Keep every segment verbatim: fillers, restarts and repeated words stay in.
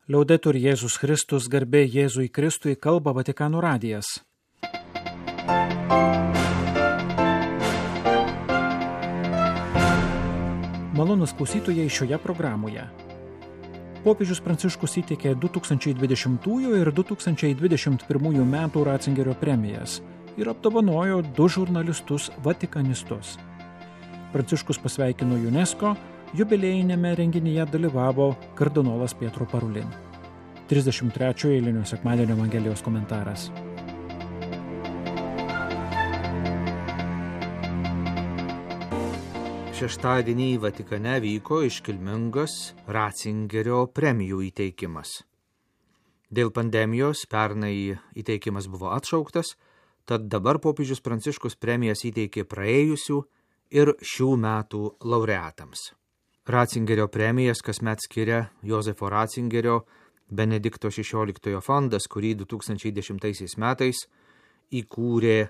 Liaudetur Jėzus Kristus, garbė Jėzui Kristui, kalba Vatikano radijas. Malonūs klausytojai šioje programoje. Popiežius Pranciškus įteikė du tūkstančiai dvidešimtųjų ir du tūkstančiai dvidešimt pirmųjų metų Ratzingerio premijas ir apdovanojo du žurnalistus vatikanistus. Pranciškus pasveikino UNESCO, jubiliejinėme renginyje dalyvavo kardinolas Pietro Parulin. trisdešimt trečiojo eilinio sekmadienio Evangelijos komentaras. Šeštadienį Vatikane vyko iškilmingas Ratzingerio premijų įteikimas. Dėl pandemijos pernai įteikimas buvo atšauktas, tad dabar popiežius Pranciškus premijas įteikė praėjusių ir šių metų laureatams. Ratzingerio premijas kasmet skiria Jozefo Ratzingerio Benedikto šešioliktojo fondas, kurį du tūkstančiai dešimtaisiais metais įkūrė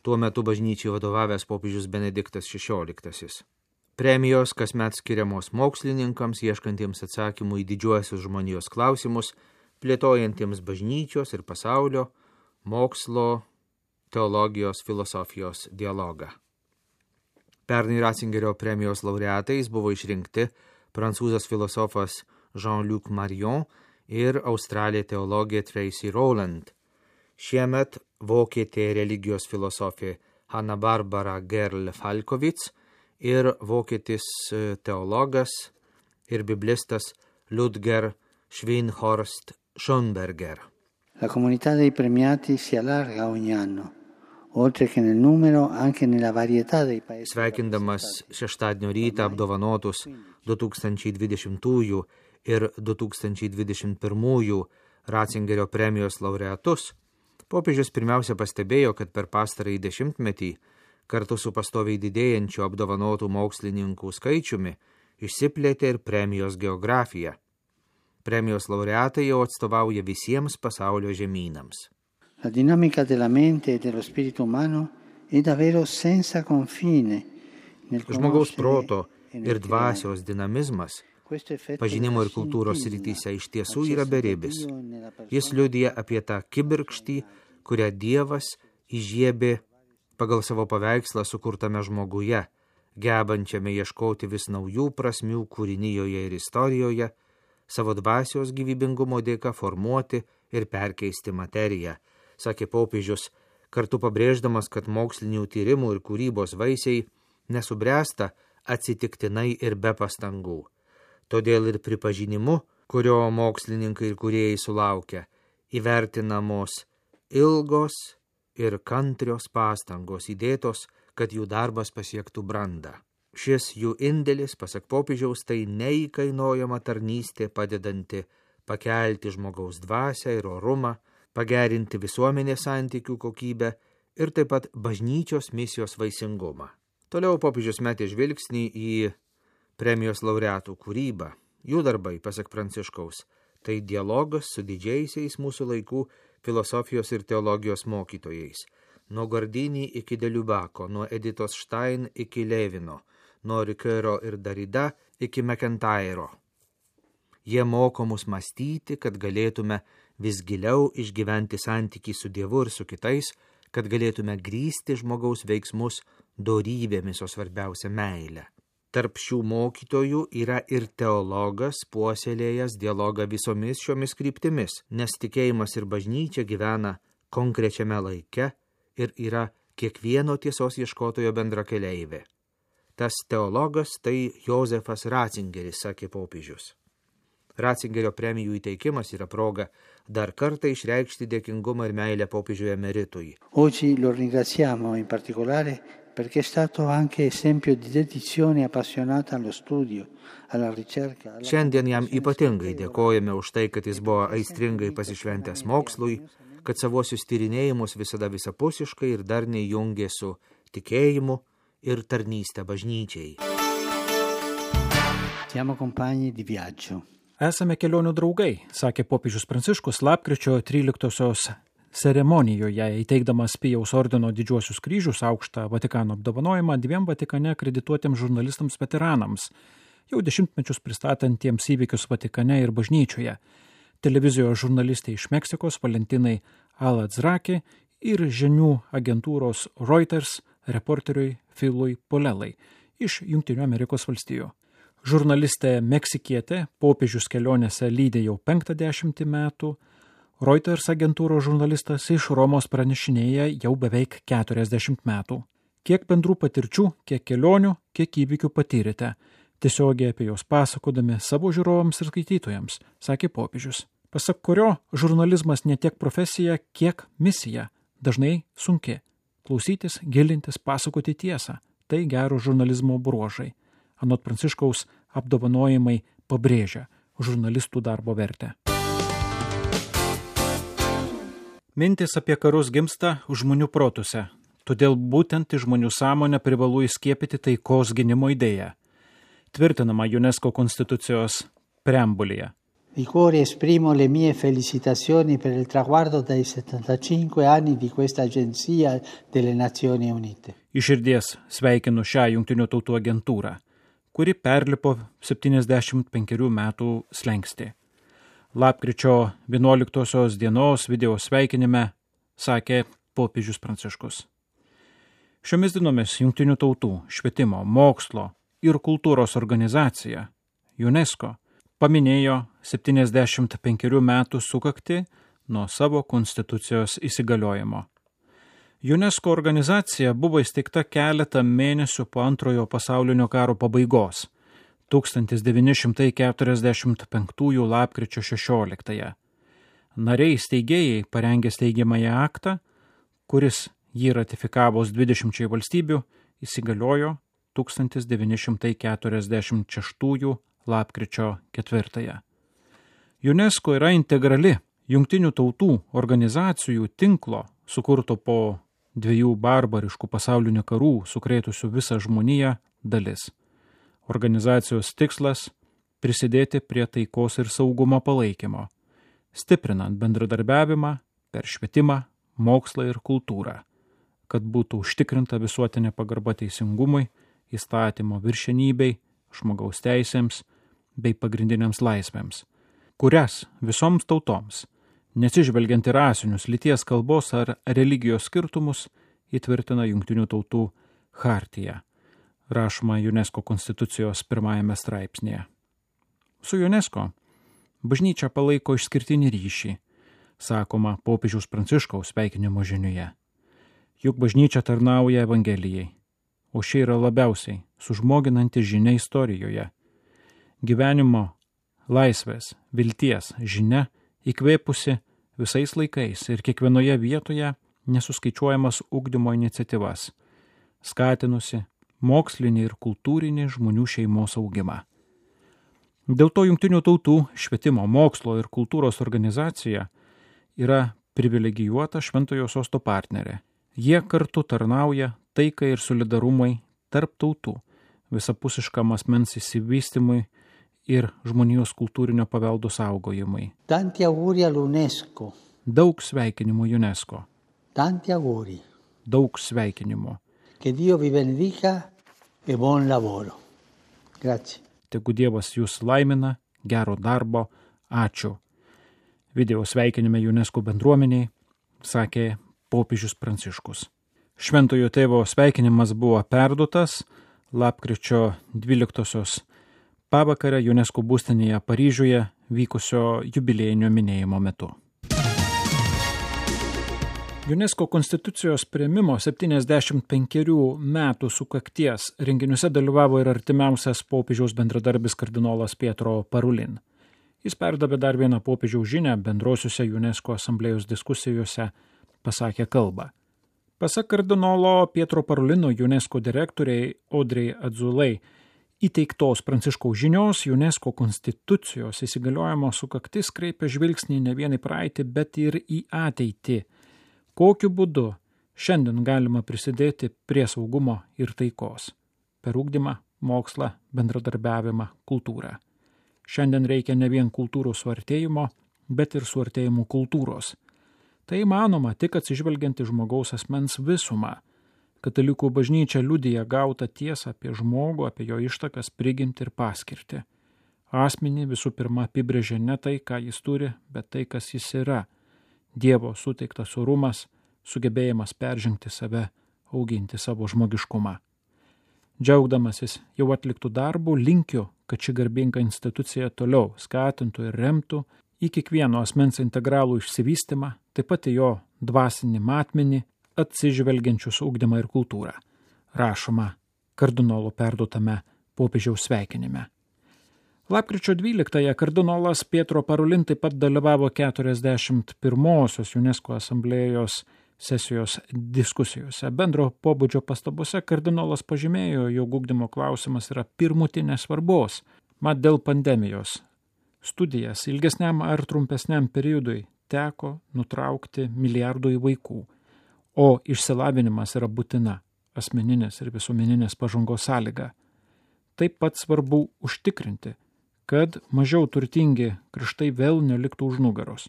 tuo metu bažnyčiai vadovavęs popiežius Benediktas šešioliktasis. Premijos kasmet skiriamos mokslininkams, ieškantiems atsakymų į didžiuosius žmonijos klausimus, plėtojantiems bažnyčios ir pasaulio, mokslo, teologijos, filosofijos dialogą. Pernai Ratzingerio premijos laureatais buvo išrinkti prancūzas filosofas Jean-Luc Marion ir australė teologė Tracy Rowland. Šiemet vokietė religijos filosofė Hanna-Barbara Gerl-Falkowitz ir vokietis teologas ir biblistas Ludger Schweinhorst Schönberger. La comunità dei premiati si allarga ogni anno. Oltre che nel numero, anche nella varietà dei paesi. Sveikindamas šeštadienio rytą apdovanotus du tūkstančiai dvidešimtųjų ir du tūkstančiai dvidešimt pirmųjų Ratzingerio premijos laureatus, popiežius pirmiausia pastebėjo, kad per pastarąjį dešimtmetį, kartu su pastoviai didėjančiu apdovanotų mokslininkų skaičiumi, išsiplėtė ir premijos geografija. Premijos laureatai jau atstovauja visiems pasaulio žemynams. La dinamica della mente e dello spirito umano è davvero senza confine. Žmogaus proto ir dvasios dinamizmas pažinimo ir kultūros srityse iš tiesų yra beribis. Jis liudija apie tą kibirkštį, kurią Dievas įžiebė pagal savo paveikslą sukurtame žmoguje, gebančiame ieškoti vis naujų prasmių kūrinijoje ir istorijoje, savo dvasios gyvybingumo dėka formuoti ir perkeisti materiją, sakė popiežius, kartu pabrėždamas, kad mokslinių tyrimų ir kūrybos vaisiai nesubręsta atsitiktinai ir be pastangų. Todėl ir pripažinimu, kurio mokslininkai ir kūrėjai sulaukia, įvertinamos ilgos ir kantrios pastangos įdėtos, kad jų darbas pasiektų brandą. Šis jų indėlis, pasak popiežiaus, tai neįkainojama tarnystė padedanti pakelti žmogaus dvasią ir orumą, pagerinti visuomenės santykių kokybę ir taip pat bažnyčios misijos vaisingumą. Toliau popiežius metė žvilgsnį į premijos laureatų kūrybą. Jų darbai, pasak Pranciškaus, tai dialogas su didžiaisiais mūsų laikų filosofijos ir teologijos mokytojais, nuo Gardini iki Deliubako, nuo Editos Stein iki Levino, nuo Ricoeuro ir Derrida iki McIntyro. Jie moko mus mąstyti, kad galėtume vis giliau išgyventi santykį su Dievu ir su kitais, kad galėtume grįsti žmogaus veiksmus dorybėmis, o svarbiausia meilę. Tarp šių mokytojų yra ir teologas, puoselėjęs dialogą visomis šiomis kryptimis, nes tikėjimas ir bažnyčia gyvena konkrečiame laike ir yra kiekvieno tiesos ieškotojo bendrakeleivė. Tas teologas tai Jozefas Ratzingeris, sakė popiežius. Ratzingerio premijų įteikimas yra proga dar kartą išreikšti dėkingumą ir meilę popiežiui emeritui. Oggi lo ringraziamo in particolare perché è stato anche esempio di dedizione appassionata allo studio, alla ricerca. Alla... Šiandien jam ypatingai dėkojame už tai, kad jis buvo aistringai pasišventęs mokslui, kad savosius tyrinėjimus visada visapusiškai ir darniai jungė su tikėjimu ir tarnystę bažnyčiai. Siamo compagni di viaggio. Esame kelionių draugai, sakė popiežius Pranciškus lapkričio tryliktosios ceremonijoje, įteikdamas Pijaus ordino didžiuosius kryžius, aukštą Vatikano apdovanojimą dviem Vatikane akredituotiems žurnalistams veteranams, jau dešimtmečius pristatantiems įvykius Vatikane ir bažnyčioje. televizijos žurnalistė iš Meksikos Valentinai Aladzraki ir žinių agentūros Reuters reporteriui Philui Polelai iš Jungtinių Amerikos valstijų. Žurnalistė meksikietė popiežius kelionėse lydė jau penktą dešimtį metų, Reuters agentūros žurnalistas iš Romos pranešinėja jau beveik keturiasdešimt metų. Kiek bendrų patirčių, kiek kelionių, kiek įvykių patyrėte, tiesiogiai apie jos pasakodami savo žiūrovams ir skaitytojams, sakė popiežius. Pasak kurio, žurnalizmas ne tiek profesija, kiek misija, dažnai sunki. Klausytis, gilintis, pasakoti tiesą – tai gero žurnalizmo bruožai. Anot Pranciškaus apdovanojimai pabrėžia žurnalistų darbo vertę. Mintis apie karus gimsta žmonių protuose, todėl būtent į žmonių sąmonę privalu įskiepyti taikos gynimo idėją, tvirtinama UNESCO konstitucijos preambulėje. Di cuore esprimo le mie felicitazioni per il traguardo dai settantacinque anni di questa agenzia delle Nazioni Unite. Iš širdies sveikinu šią Jungtinių tautų agentūrą, kuri perlipo septyniasdešimt penkerių metų slenkstį. Lapkričio vienuoliktosios dienos video sveikinime sakė popiežius Pranciškus. Šiomis dienomis Jungtinių tautų švietimo, mokslo ir kultūros organizacija UNESCO paminėjo septyniasdešimt penkerių metų sukaktį nuo savo konstitucijos įsigaliojimo. UNESCO organizacija buvo įsteigta keletą mėnesių po antrojo pasaulinio karo pabaigos, tūkstantis devyni šimtai keturiasdešimt penktųjų lapkričio šešioliktąją. Nariai steigėjai parengė steigiamąjį aktą, kuris jį ratifikavus dvidešimčiai valstybių įsigaliojo tūkstantis devyni šimtai keturiasdešimt šeštųjų lapkričio ketvirtąją. UNESCO yra integrali Jungtinių tautų organizacijų tinklo, sukurto po dviejų barbariškų pasaulinių karų sukrėtusių visą žmoniją dalis. Organizacijos tikslas – prisidėti prie taikos ir saugumo palaikymo, stiprinant bendradarbiavimą per švietimą, mokslą ir kultūrą, kad būtų užtikrinta visuotinė pagarba teisingumui, įstatymo viršenybei, žmogaus teisėms bei pagrindiniams laisvėms, kurias visoms tautoms, neatsižvelgiant į rasinius, lyties, kalbos ar religijos skirtumus, įtvirtina Jungtinių tautų chartija, rašoma UNESCO konstitucijos pirmajame straipsnėje. Su UNESCO bažnyčia palaiko išskirtinį ryšį, sakoma popiežiaus Pranciškaus sveikinimo žinioje. Juk bažnyčia tarnauja Evangelijai, o ši yra labiausiai sužmoginanti žinia istorijoje. Gyvenimo, laisvės, vilties žinia įkvėpusi visais laikais ir kiekvienoje vietoje nesuskaičiuojamas ugdymo iniciatyvas, skatinusi mokslinį ir kultūrinį žmonių šeimos augimą. Dėl to Jungtinių tautų švietimo, mokslo ir kultūros organizacija yra privilegijuota Šventojo sosto partnerė. Jie kartu tarnauja taikai ir solidarumui tarp tautų, visapusiškam asmens įsivystymui ir žmonijos kultūrinio paveldo saugojimui. Tanti auguri all'UNESCO. Daug sveikinimų UNESCO. Tanti auguri. Daug sveikinimų. Che Dio vi benedica e buon lavoro. Grazie. Tegu Dievas jūs laimina, gero darbo, ačiū. Video sveikinime UNESCO bendruomeniai sakė popiežius Pranciškus. Šventojo tėvo sveikinimas buvo perduotas lapkričio dvyliktosios pavakarę UNESCO būstinėje Paryžiuje vykusio jubiliejinio minėjimo metu. UNESCO konstitucijos priėmimo septyniasdešimt penkerių metų sukakties renginiuose dalyvavo ir artimiausias popiežiaus bendradarbis kardinolas Pietro Parulin. Jis perdavė dar vieną popiežiaus žinią bendrosiuose UNESCO asamblėjos diskusijose, pasakė kalbą. Pasak kardinolo Pietro Parulino UNESCO direktoriai Audrey Azoulay įteiktos Pranciškaus žinios UNESCO konstitucijos įsigaliojimo sukaktis kreipia žvilgsnį ne vien į praeitį, bet ir į ateitį. Kokiu būdu šiandien galima prisidėti prie saugumo ir taikos? Per ugdymą, mokslą, bendradarbiavimą, kultūrą. Šiandien reikia ne vien kultūrų suartėjimo, bet ir suartėjimų kultūros. Tai įmanoma tik atsižvelgiant į žmogaus asmens visumą. Katalikų bažnyčia liudija gautą tiesą apie žmogų, apie jo ištakas, prigimtį ir paskirtį. Asmenį visų pirma apibrėžia ne tai, ką jis turi, bet tai, kas jis yra. Dievo suteiktas orumas, sugebėjimas peržengti save, auginti savo žmogiškumą. Džiaugdamasis jau atliktų darbų, linkiu, kad ši garbinga institucija toliau skatintų ir remtų į kiekvieno asmens integralų išsivystymą, taip pat į jo dvasinį matmenį, atsižvelgiančius ugdymą ir kultūrą. Rašoma kardinolo perduotame popiežiaus sveikinime. Lapkričio dvyliktąją kardinolas Pietro Parolin taip pat dalyvavo keturiasdešimt pirmosios UNESCO asamblėjos sesijos diskusijose. Bendro pobūdžio pastabose kardinolas pažymėjo, jog ugdymo klausimas yra pirmutinės svarbos. Mat dėl pandemijos studijas ilgesniam ar trumpesniam periodui teko nutraukti milijardui vaikų, o išsilavinimas yra būtina asmeninės ir visuomeninės pažangos sąlyga. Taip pat svarbu užtikrinti, kad mažiau turtingi kraštai vėl neliktų už nugaros.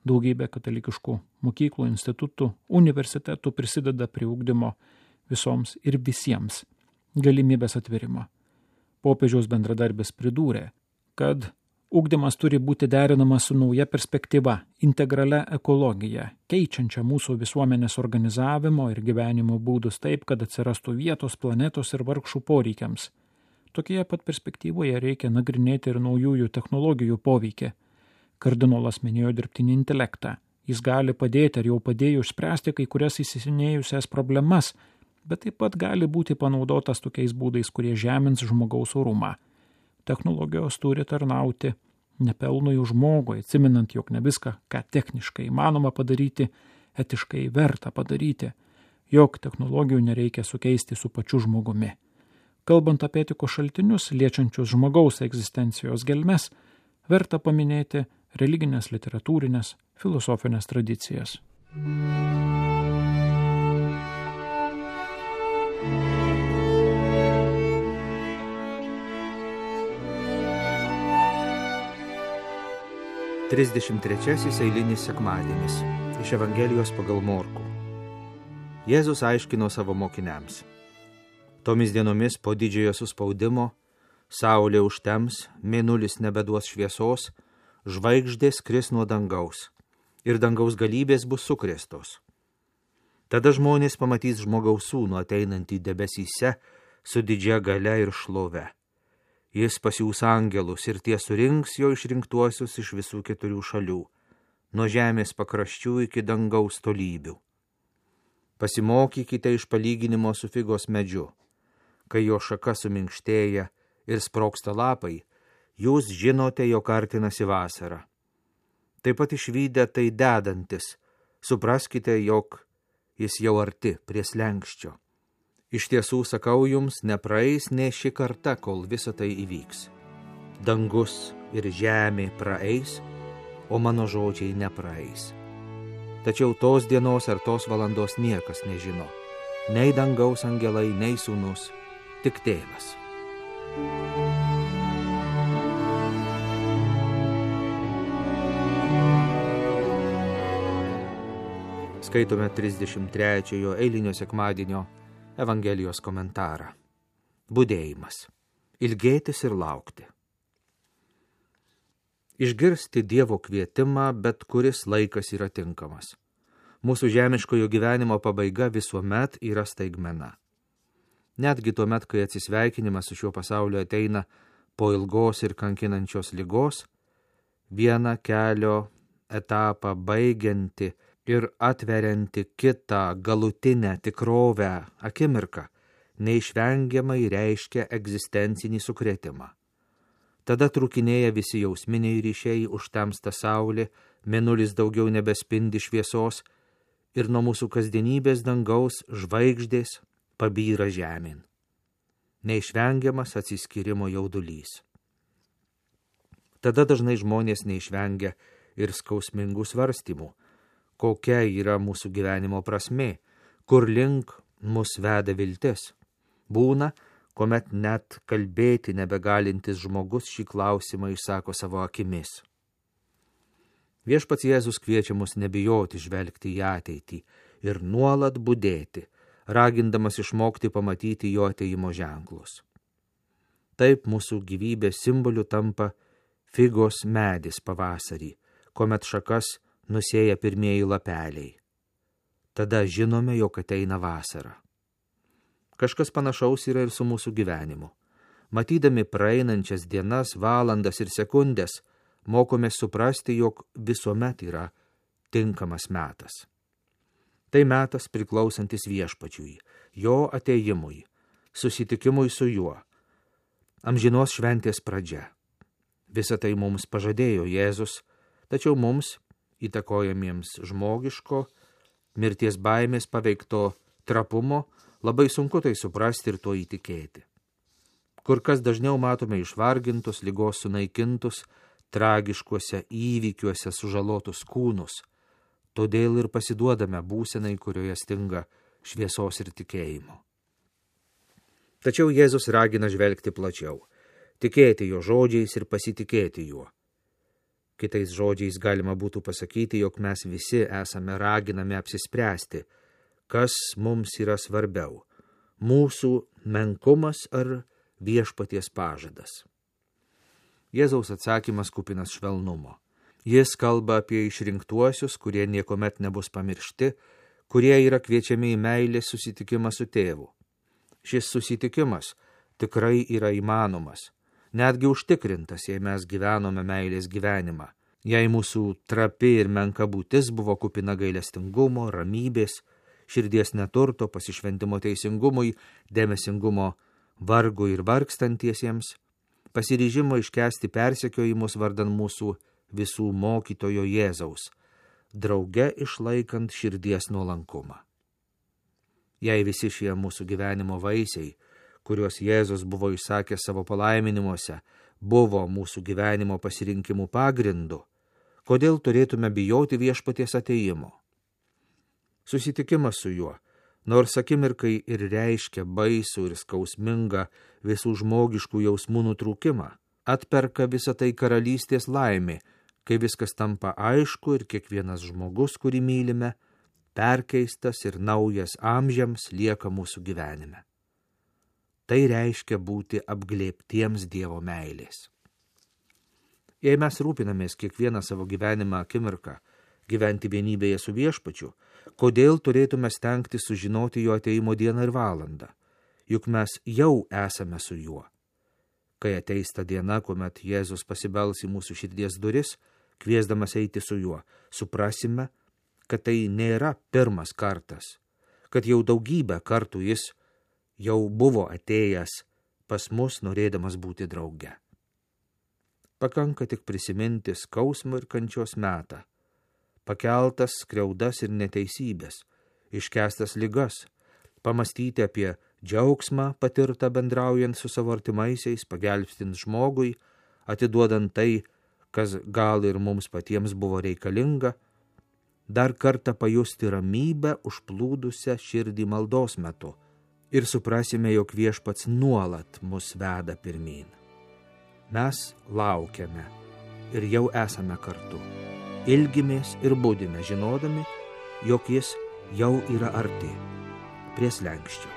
Daugybė katalikiškų mokyklų, institutų, universitetų prisideda prie ugdymo visoms ir visiems galimybės atverimo. Popiežiaus bendradarbis pridūrė, kad ugdymas turi būti derinamas su nauja perspektyva, integralia ekologija, keičiančia mūsų visuomenės organizavimo ir gyvenimo būdus taip, kad atsirastų vietos planetos ir vargšų poreikiams. Tokioje pat perspektyvoje reikia nagrinėti ir naujųjų technologijų poveikį. Kardinolas minėjo dirbtinį intelektą. Jis gali padėti ar jau padėjo išspręsti kai kurias įsisenėjusias problemas, bet taip pat gali būti panaudotas tokiais būdais, kurie žemins žmogaus orumą. Technologijos turi tarnauti nepelnui žmogui, atsiminant, jog ne viską, ką techniškai įmanoma padaryti, etiškai verta padaryti, jog technologijų nereikia sukeisti su pačiu žmogumi. Kalbant apie etikos šaltinius, liečiančius žmogaus egzistencijos gelmes, verta paminėti religinės, literatūrinės, filosofinės tradicijas. trisdešimt trečiasis eilinis sekmadienis iš Evangelijos pagal Morkų. Jėzus aiškino savo mokiniams. Tomis dienomis po didžiojo suspaudimo saulė užtems, mėnulis nebeduos šviesos, žvaigždės kris nuo dangaus ir dangaus galybės bus sukrėstos. Tada žmonės pamatys žmogaus sūnų ateinantį debesyse su didžia galia ir šlove. Jis pasiūs angelus ir tie surinks jo išrinktuosius iš visų keturių šalių, nuo žemės pakraščių iki dangaus tolybių. Pasimokykite iš palyginimo su figos medžiu. Kai jo šaka suminkštėja ir sproksta lapai, jūs žinote, jog artinasi vasara. Taip pat išvydę tai dedantis, supraskite, jog jis jau arti prie slenkščio. Iš tiesų, sakau jums, nepraeis nė ši karta, kol visa tai įvyks. Dangus ir žemė praeis, o mano žodžiai nepraeis. Tačiau tos dienos ar tos valandos niekas nežino, nei dangaus angelai, nei sūnus, tik tėvas. Skaitome trisdešimt trečiojo eilinio sekmadienio Evangelijos komentarą. Budėjimas. Ilgėtis ir laukti. Išgirsti Dievo kvietimą, bet kuris laikas yra tinkamas. Mūsų žemiškojo gyvenimo pabaiga visuomet yra staigmena. Netgi tuomet, kai atsisveikinimas su šiuo pasauliu ateina po ilgos ir kankinančios ligos, vieną kelio etapą baigianti ir atverianti kitą galutinę tikrovę akimirką, neišvengiamai reiškia egzistencinį sukrėtimą. Tada trūkinėja visi jausminiai ryšiai, užtemsta saulė, mėnulis daugiau nebespindi šviesos ir nuo mūsų kasdienybės dangaus žvaigždės pabyra žemėn. Neišvengiamas atsiskyrimo jaudulys. Tada dažnai žmonės neišvengia ir skausmingų svarstymų, kokia yra mūsų gyvenimo prasmė, kur link mus veda viltis. Būna, kuomet net kalbėti nebegalintis žmogus šį klausimą išsako savo akimis. Viešpats Jėzus kviečia mus nebijoti žvelgti į ateitį ir nuolat budėti, ragindamas išmokti pamatyti jo atėjimo ženklus. Taip mūsų gyvybės simboliu tampa figos medis pavasarį, kuomet šakas nusėja pirmieji lapeliai. Tada žinome, jog ateina vasara. Kažkas panašaus yra ir su mūsų gyvenimu. Matydami praeinančias dienas, valandas ir sekundės, mokomės suprasti, jog visuomet yra tinkamas metas. Tai metas priklausantis viešpačiui, jo atėjimui, susitikimui su juo, amžinos šventės pradžia. Visą tai mums pažadėjo Jėzus, tačiau mums, įtakojamiems žmogiško, mirties baimės paveikto trapumo, labai sunku tai suprasti ir tuo įtikėti. Kur kas dažniau matome išvargintus, ligos sunaikintus, tragiškuose įvykiuose sužalotus kūnus, todėl ir pasiduodame būsenai, kurioje stinga šviesos ir tikėjimo. Tačiau Jėzus ragina žvelgti plačiau, tikėti jo žodžiais ir pasitikėti juo. Kitais žodžiais galima būtų pasakyti, jog mes visi esame raginami apsispręsti, kas mums yra svarbiau – mūsų menkumas ar viešpaties pažadas. Jėzaus atsakymas kupinas švelnumo. Jis kalba apie išrinktuosius, kurie niekuomet nebus pamiršti, kurie yra kviečiami į meilės susitikimą su tėvu. Šis susitikimas tikrai yra įmanomas, netgi užtikrintas, jei mes gyvenome meilės gyvenimą, jei mūsų trapi ir menka būtis buvo kupina gailestingumo, ramybės, širdies neturto, pasišventimo teisingumui, dėmesingumo vargui ir vargstantiesiems, pasiryžimo iškęsti persekiojimus vardan mūsų visų mokytojo Jėzaus, drauge išlaikant širdies nuolankumą. Jei visi šie mūsų gyvenimo vaisiai, kuriuos Jėzus buvo išsakęs savo palaiminimuose, buvo mūsų gyvenimo pasirinkimų pagrindu, kodėl turėtume bijoti viešpaties atėjimo? Susitikimas su juo, nors akimirkai ir reiškia baisų ir skausmingą visų žmogiškų jausmų nutrūkimą, atperka visą tai karalystės laimė, kai viskas tampa aišku ir kiekvienas žmogus, kurį mylime, perkeistas ir naujas amžiams lieka mūsų gyvenime. Tai reiškia būti apglėbtiems Dievo meilės. Jei mes rūpinamės kiekvieną savo gyvenimą akimirką, gyventi vienybėje su viešpačiu, kodėl turėtume stengti sužinoti jo ateimo dieną ir valandą, juk mes jau esame su juo. Kai ateis ta diena, kuomet Jėzus pasibels į mūsų širdies duris, kviesdamas eiti su juo, suprasime, kad tai nėra pirmas kartas, kad jau daugybę kartų jis jau buvo atėjęs pas mus, norėdamas būti drauge. Pakanka tik prisiminti skausmo ir kančios metą, pakeltas skriaudas ir neteisybės, iškęstas ligas, pamastyti apie džiaugsmą patirtą bendraujant su savo artimaisiais, pagelbstint žmogui, atiduodant tai, kas gal ir mums patiems buvo reikalinga, dar kartą pajusti ramybę užplūdusią širdį maldos metu ir suprasime, jog viešpats nuolat mus veda pirmyn. Mes laukiame ir jau esame kartu. Ilgimės ir budime, žinodami, jog jis jau yra arti, prie slenksčio.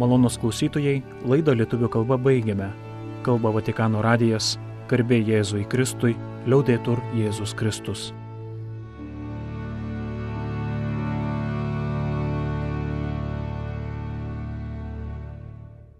Malonūs klausytojai, laidą lietuvių kalba baigiame. Kalba Vatikano radijas, garbė Jėzui Kristui, liaudetur Jėzus Kristus.